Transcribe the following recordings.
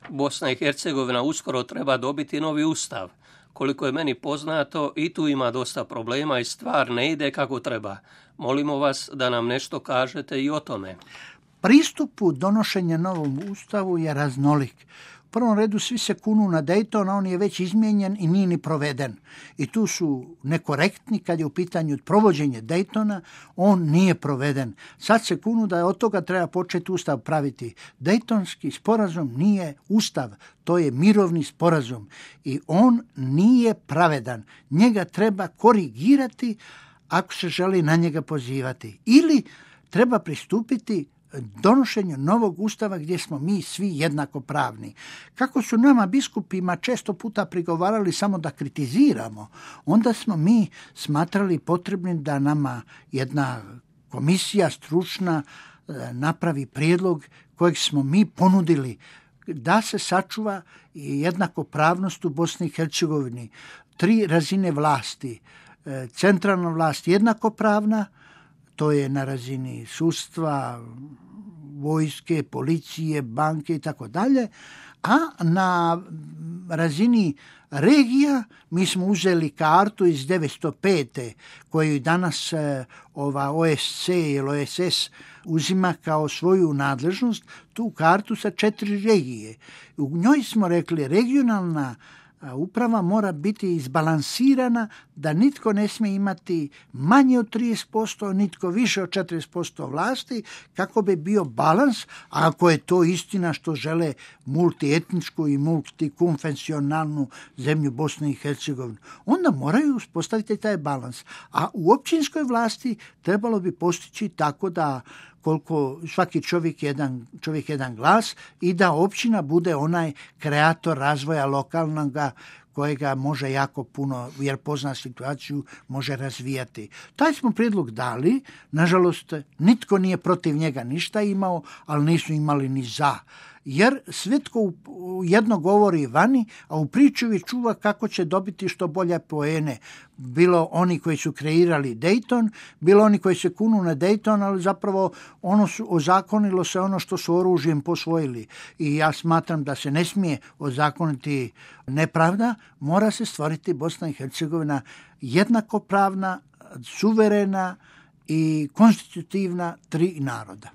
Bosna i Hercegovina uskoro treba dobiti novi ustav. Koliko je meni poznato, i tu ima dosta problema i stvar ne ide kako treba. Molimo vas da nam nešto kažete i o tome. Pristupu donošenja novom ustavu je raznolik. U prvom redu svi se kunu na Dayton, a on je već izmijenjen i nije ni proveden. I tu su nekorektni kad je u pitanju provođenje Daytona, on nije proveden. Sad se kunu da od toga treba početi ustav praviti. Daytonski sporazum nije ustav, to je mirovni sporazum i on nije pravedan. Njega treba korigirati ako se želi na njega pozivati. Ili treba pristupiti donošenju novog ustava gdje smo mi svi jednakopravni. Kako su nama biskupima često puta prigovarali samo da kritiziramo, onda smo mi smatrali potrebnim da nama jedna komisija stručna napravi prijedlog kojeg smo mi ponudili da se sačuva jednakopravnost u Bosni i Hercegovini. 3 razine vlasti. Centralna vlast jednakopravna, to je na razini sudstva, vojske, policije, banke i tako dalje, a na razini regija mi smo uzeli kartu iz 905. koju danas ova OSC ili OSS uzima kao svoju nadležnost, tu kartu sa 4 regije. U njoj smo rekli regionalna uprava mora biti izbalansirana, da nitko ne smije imati manje od 30%, nitko više od 40% vlasti, kako bi bio balans, a ako je to istina što žele multietničku i multikonfesionalnu zemlju Bosne i Hercegovine, onda moraju uspostaviti taj balans. A u općinskoj vlasti trebalo bi postići tako da koliko svaki čovjek jedan glas i da općina bude onaj kreator razvoja lokalnoga kojega može jako puno, jer pozna situaciju, može razvijati. Taj smo prijedlog dali, nažalost nitko nije protiv njega ništa imao, ali nisu imali ni za. Jer svetko jedno govori vani, a u pričuvi čuva kako će dobiti što bolje poene. Bilo oni koji su kreirali Dayton, bilo oni koji se kunu na Dayton, ali zapravo ozakonilo se ono što su oružjem posvojili. I ja smatram da se ne smije ozakoniti nepravda, mora se stvoriti Bosna i Hercegovina jednakopravna, suverena i konstitutivna 3 naroda.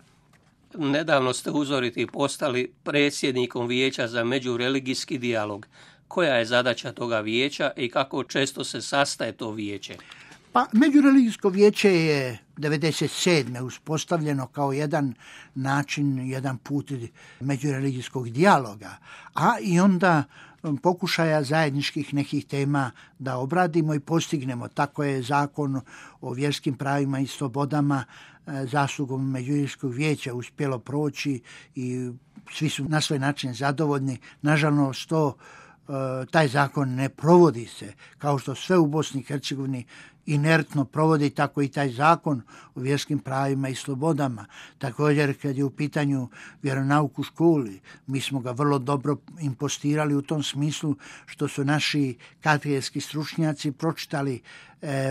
Nedavno ste uzoriti postali predsjednikom Vijeća za međureligijski dijalog. Koja je zadaća toga vijeća i kako često se sastaje to vijeće? Pa, Međureligijsko vijeće je 1997. uspostavljeno kao jedan način, jedan put međureligijskog dijaloga, a i onda pokušaja zajedničkih nekih tema da obradimo i postignemo. Tako je zakon o vjerskim pravima i slobodama zaslugom Međureligijskog vijeća uspjelo proći i svi su na svoj način zadovoljni. Nažalost, taj zakon ne provodi se, kao što sve u Bosni i Hercegovini inertno provodi, tako i taj zakon o vjerskim pravima i slobodama. Također, kad je u pitanju vjeronauk u školi, mi smo ga vrlo dobro impostirali u tom smislu što su naši katedrski stručnjaci pročitali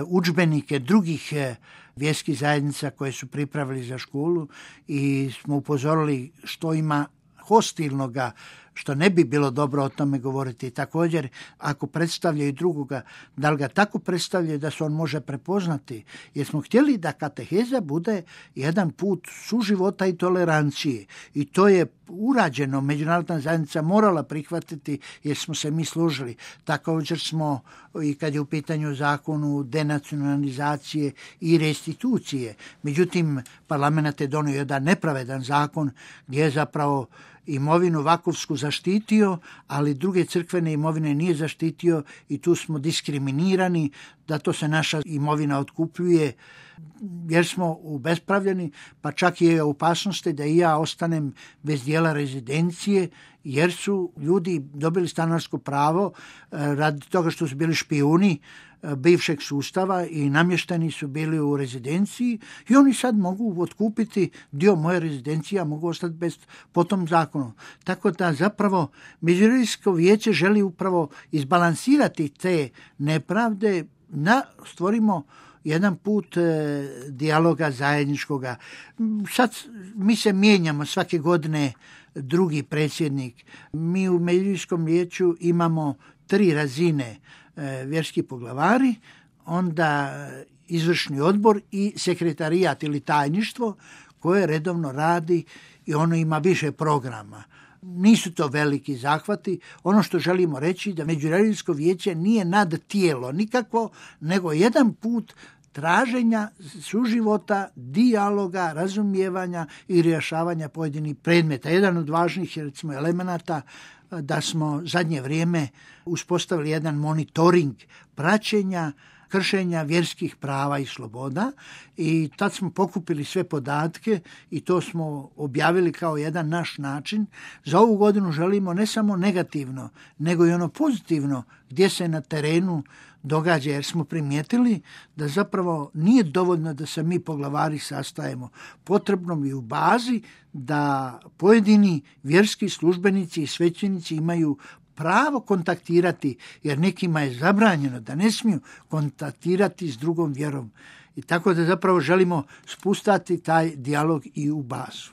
udžbenike drugih vjerskih zajednica koje su pripravili za školu i smo upozorili što ima hostilnoga, što ne bi bilo dobro o tome govoriti. Također, ako predstavljaju drugoga, da li ga tako predstavljaju da se on može prepoznati, jer smo htjeli da kateheza bude jedan put suživota i tolerancije. I to je urađeno, međunarodna zajednica morala prihvatiti jer smo se mi složili. Također smo, i kad je u pitanju zakonu denacionalizacije i restitucije, međutim, parlament je donio jedan nepravedan zakon gdje je zapravo imovinu vakovsku zaštitio, ali druge crkvene imovine nije zaštitio i tu smo diskriminirani, da to se naša imovina otkupljuje jer smo ubespravljeni, pa čak je opasnosti da i ja ostanem bez dijela rezidencije, jer su ljudi dobili stanarsko pravo radi toga što su bili špijuni bivšeg sustava i namješteni su bili u rezidenciji i oni sad mogu otkupiti dio moje rezidencije, a mogu ostati bez po tom zakonu. Tako da zapravo Međureligijsko vijeće želi upravo izbalansirati te nepravde, stvorimo jedan put dijaloga zajedničkoga. Sad mi se mijenjamo svake godine, drugi predsjednik. Mi u Međuljskom vijeću imamo 3 razine, vjerski poglavari, onda izvršni odbor i sekretarijat ili tajništvo koje redovno radi i ono ima više programa. Nisu to veliki zahvati. Ono što želimo reći da Međureligijsko vijeće nije nad tijelo nikakvo, nego jedan put traženja suživota, dijaloga, razumijevanja i rješavanja pojedinih predmeta. Jedan od važnih recimo elemenata da smo zadnje vrijeme uspostavili jedan monitoring praćenja kršenja vjerskih prava i sloboda i tad smo pokupili sve podatke i to smo objavili kao jedan naš način. Za ovu godinu želimo ne samo negativno, nego i ono pozitivno gdje se na terenu događa, jer smo primijetili da zapravo nije dovoljno da se mi poglavari sastajemo. Potrebno mi u bazi da pojedini vjerski službenici i svećenici imaju pravo kontaktirati, jer nekima je zabranjeno da ne smiju kontaktirati s drugom vjerom. I tako da zapravo želimo spustati taj dijalog i u bazu.